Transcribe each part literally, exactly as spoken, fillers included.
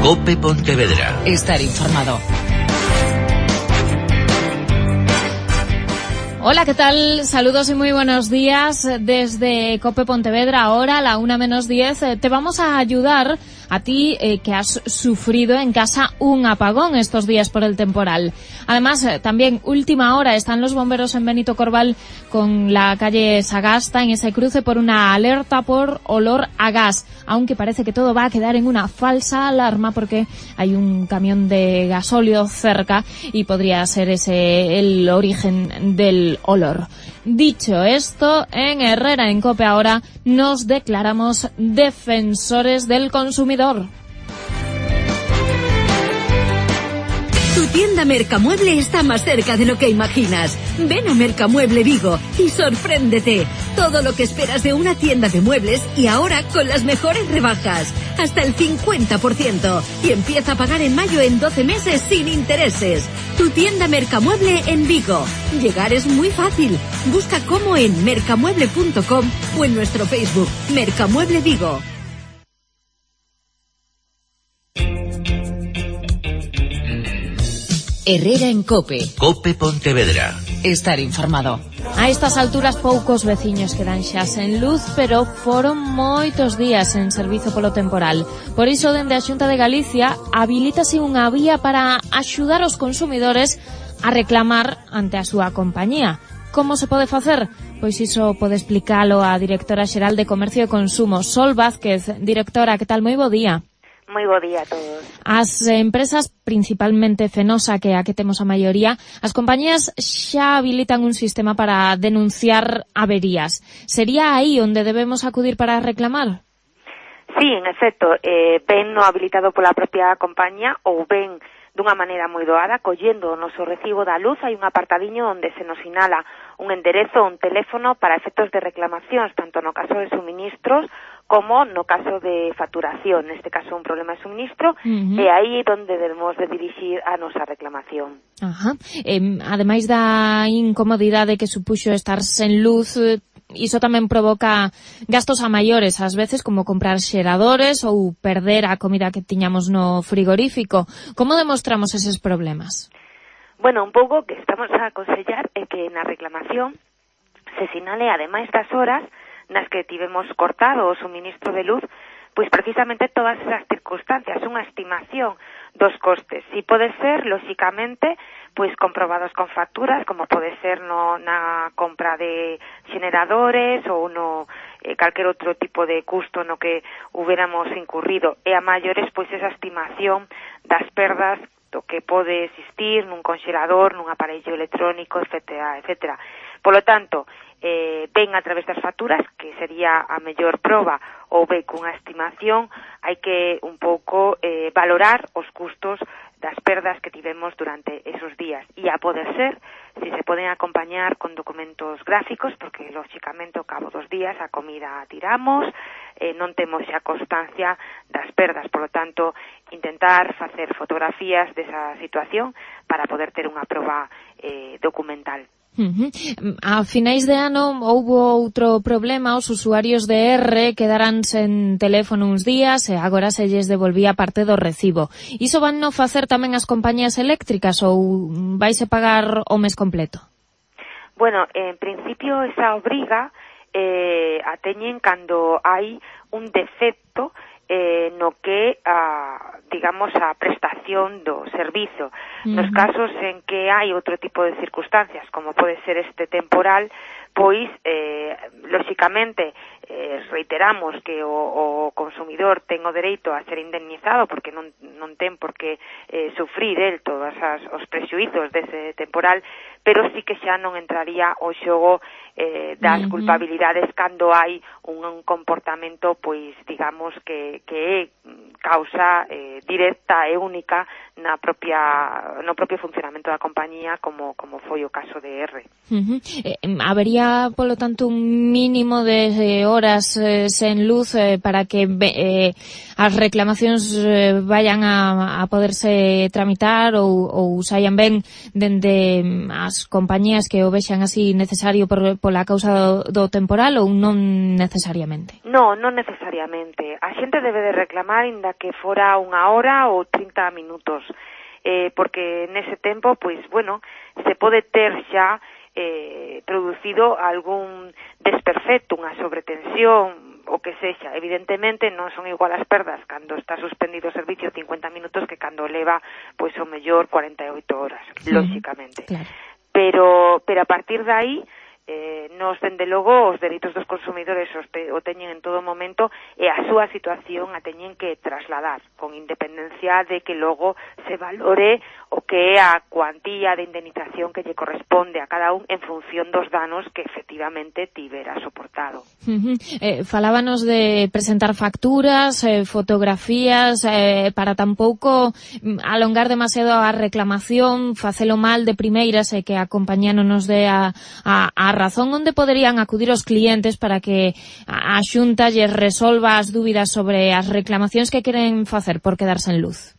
COPE Pontevedra. Estar informado. Hola, ¿qué tal? Saludos y muy buenos días desde COPE Pontevedra. Ahora, a la una menos diez, te vamos a ayudar a ti eh, que has sufrido en casa un apagón estos días por el temporal. Además, eh, también última hora están los bomberos en Benito Corval con la calle Sagasta en ese cruce por una alerta por olor a gas, aunque parece que todo va a quedar en una falsa alarma porque hay un camión de gasóleo cerca y podría ser ese el origen del olor. Dicho esto, en Herrera en COPE ahora nos declaramos defensores del consumidor. Tu tienda Mercamueble está más cerca de lo que imaginas. Ven a Mercamueble Vigo y sorpréndete. Todo lo que esperas de una tienda de muebles y ahora con las mejores rebajas. Hasta el cincuenta por ciento. Y empieza a pagar en mayo en doce meses sin intereses. Tu tienda Mercamueble en Vigo. Llegar es muy fácil. Busca cómo en mercamueble punto com o en nuestro Facebook Mercamueble Vigo. Herrera en COPE. COPE Pontevedra. Estar informado. A estas alturas poucos veciños quedan xa sen luz, pero foron moitos días en servizo polo temporal. Por iso, dende a Xunta de Galicia, habilítase unha vía para axudar os consumidores a reclamar ante a súa compañía. Como se pode facer? Pois iso pode explicalo a directora xeral de Comercio e Consumo, Sol Vázquez. Directora, que tal? Moi bo día. Moi bo día a todos. As empresas, principalmente Fenosa, que é a que temos a maioría, as compañías xa habilitan un sistema para denunciar averías. Sería aí onde debemos acudir para reclamar? Sí, en efecto, eh, ben no habilitado pola propia compañía ou ben dunha maneira moi doada, collendo o noso recibo da luz, hai un apartadiño onde se nos sinala un enderezo, un teléfono para efectos de reclamacións, tanto no caso de suministros como no caso de facturación, neste caso un problema de suministro, uh-huh. E aí onde debemos de dirixir a nosa reclamación. Ajá. Eh, ademais da incomodidade que supuxo estar sen luz, iso tamén provoca gastos a maiores, ás veces, como comprar xeradores ou perder a comida que tiñamos no frigorífico. Como demostramos eses problemas? Bueno, un pouco que estamos a aconsellar é que na reclamación se sinale, ademais das horas nas que tivemos cortado o suministro de luz, pois precisamente todas esas circunstancias, unha estimación dos costes. Si pode ser, lóxicamente, pois comprobados con facturas, como pode ser no, na compra de xeneradores ou no eh, calquer outro tipo de custo no que hubiéramos incurrido. E a maiores, pois esa estimación das perdas do que pode existir nun conxelador, nun aparello electrónico, etcétera, etcétera. Polo tanto, eh, ven a través das facturas, que sería a mellor proba, ou ben cunha estimación, hai que un pouco eh, valorar os custos das perdas que tivemos durante esos días. E a poder ser, si se poden acompañar con documentos gráficos, porque lóxicamente ao cabo dos días a comida a tiramos, eh, non temos xa constancia das perdas, por lo tanto, intentar facer fotografías desa situación para poder ter unha proba eh, documental. Uh-huh. A finais de ano houbo outro problema, os usuarios de R quedaran sen teléfono uns días e agora se lles devolvía parte do recibo. Iso van no facer tamén as compañías eléctricas ou vaise pagar o mes completo? Bueno, en principio esa obriga eh, a teñen cando hai un defecto eh, no que, a, digamos, a prestación do servizo. Uh-huh. Nos casos en que hai outro tipo de circunstancias, como pode ser este temporal, pois, eh, lóxicamente, eh, reiteramos que o, o consumidor ten o dereito a ser indemnizado porque non, non ten por que eh, sufrir el todos as, os prexuizos dese temporal, pero sí que xa non entraría o xogo eh, das uh-huh. culpabilidades cando hai un, un comportamento, pois, digamos, que, que é causa eh, directa e única na propia no propio funcionamento da compañía, como como foi o caso de R. Uh-huh. Eh, habería, polo tanto, un mínimo de eh, horas eh, sen luz eh, para que eh, as reclamacións eh, vayan a, a poderse tramitar ou, ou saian ben dende as compañías que o vexan así necesario por, pola causa do, do temporal ou non necesariamente? No, non necesariamente. A xente debe de reclamar inda que fora unha hora ou trinta minutos, eh, porque nese tempo, pois, bueno, se pode ter xa eh, producido algún desperfecto, unha sobretensión, o que sexa. Evidentemente non son igual as perdas cando está suspendido o servicio cincuenta minutos que cando leva, pois, o mellor cuarenta e oito horas, sí, lóxicamente. Claro. Pero, pero a partir de aí, eh, nos, dende logo, os dereitos dos consumidores os te, o teñen en todo momento e a súa situación a teñen que trasladar, con independencia de que logo se valore o que é a cuantía de indemnización que lle corresponde a cada un en función dos danos que efectivamente tivera soportado. Uh-huh. Eh, falábanos de presentar facturas, eh, fotografías, eh, para tampouco alongar demasiado a reclamación, facelo mal de primeiras e eh, que a compañía non nos dé a, a, a razón. Onde poderían acudir os clientes para que a Xunta lles resolva as dúbidas sobre as reclamacións que queren facer por quedarse en luz?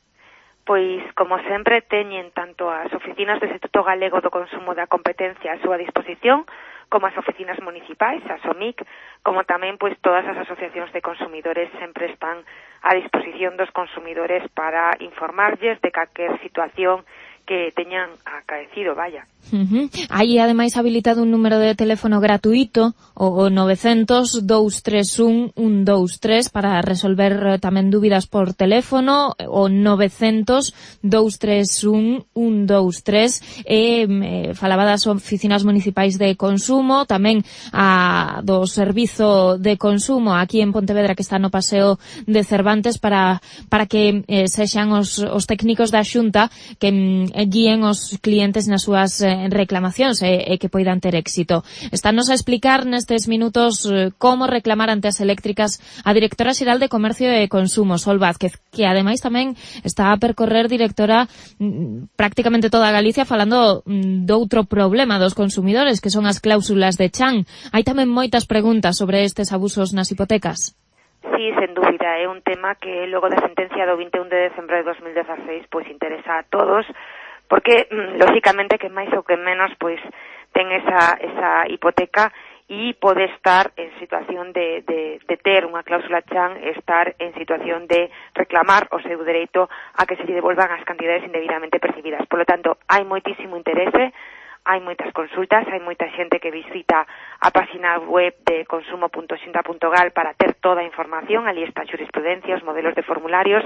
Pois, como sempre, teñen tanto as oficinas do Instituto Galego do Consumo da Competencia a súa disposición, como as oficinas municipais, as O M I C, como tamén pois todas as asociacións de consumidores sempre están a disposición dos consumidores para informarlles de calquer situación que teñan acaecido, vaya. Uh-huh. Hai ademais habilitado un número de teléfono gratuito, o novecientos, doscientos treinta e un, ciento veintitrés, para resolver tamén dúbidas por teléfono, o novecientos, doscientos treinta e un, ciento veintitrés, e eh, falaba das oficinas municipais de consumo, tamén a do servizo de consumo aquí en Pontevedra, que está no Paseo de Cervantes, para para que eh, sexan os, os técnicos da Xunta que eh, guíen os clientes nas súas eh, reclamacións e, e que poidan ter éxito. Estános a explicar nestes minutos eh, como reclamar ante as eléctricas a directora xeral de Comercio e Consumo, Sol Vázquez, que ademais tamén está a percorrer, directora, mm, prácticamente toda Galicia, falando mm, doutro problema dos consumidores, que son as cláusulas de chan. Hai tamén moitas preguntas sobre estes abusos nas hipotecas. Sí, sen dúbida, é un tema que logo da sentencia do vinte e un de decembro de dos mil dezaseis pois interesa a todos, porque, lógicamente, que máis ou que menos, pois, ten esa, esa hipoteca e pode estar en situación de, de, de ter unha cláusula chan, estar en situación de reclamar o seu dereito a que se lle devolvan as cantidades indebidamente percibidas. Por lo tanto, hai moitísimo interese, hai moitas consultas, hai moita xente que visita a página web de consumo punto xunta punto gal para ter toda a información. Ali está a xurisprudencia, os modelos de formularios,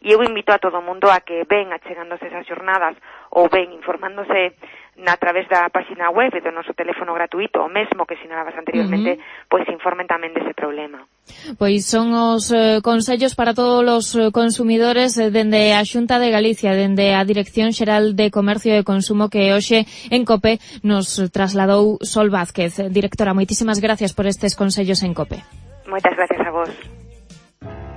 e eu invito a todo o mundo a que ven achegándose esas xornadas ou ven informándose na través da página web e do noso teléfono gratuito, o mesmo que sinalabas anteriormente, uh-huh. pois informen tamén dese problema. Pois son os eh, consellos para todos os eh, consumidores eh, dende a Xunta de Galicia, dende a Dirección Xeral de Comercio e Consumo, que hoxe en COPE nos trasladou Sol Vázquez. Directora, moitísimas gracias por estes consellos en COPE. Moitas gracias a vos.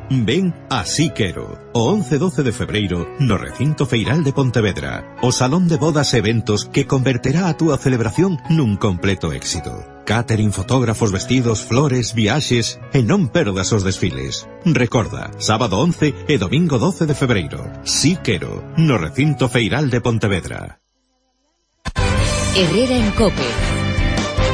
Ven a Sí Quero, o once e doce de febreiro, no Recinto Feiral de Pontevedra, o salón de bodas e eventos que converterá a túa celebración nun completo éxito. Catering, fotógrafos, vestidos, flores, viaxes, e non perdas os desfiles. Recorda, sábado once e domingo doce de febreiro. Sí Quero, no Recinto Feiral de Pontevedra. Herrera en COPE.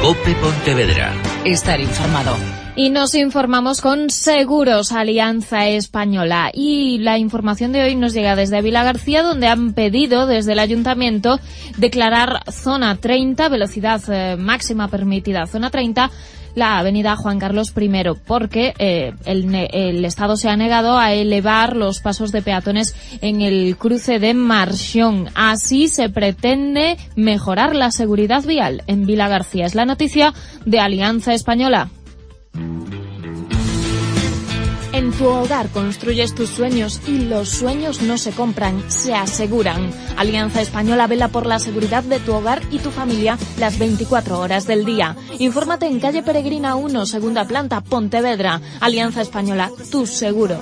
COPE Pontevedra. Estar informado. Y nos informamos con Seguros Alianza Española. Y la información de hoy nos llega desde Vilagarcía, donde han pedido desde el Ayuntamiento declarar zona treinta, velocidad eh, máxima permitida, zona treinta, la avenida Juan Carlos primero, porque eh, el, el Estado se ha negado a elevar los pasos de peatones en el cruce de Marxón. Así se pretende mejorar la seguridad vial en Vilagarcía. Es la noticia de Alianza Española. En tu hogar construyes tus sueños y los sueños no se compran, se aseguran. Alianza Española vela por la seguridad de tu hogar y tu familia las veinticuatro horas del día. Infórmate en calle Peregrina uno, segunda planta, Pontevedra. Alianza Española, tu seguro.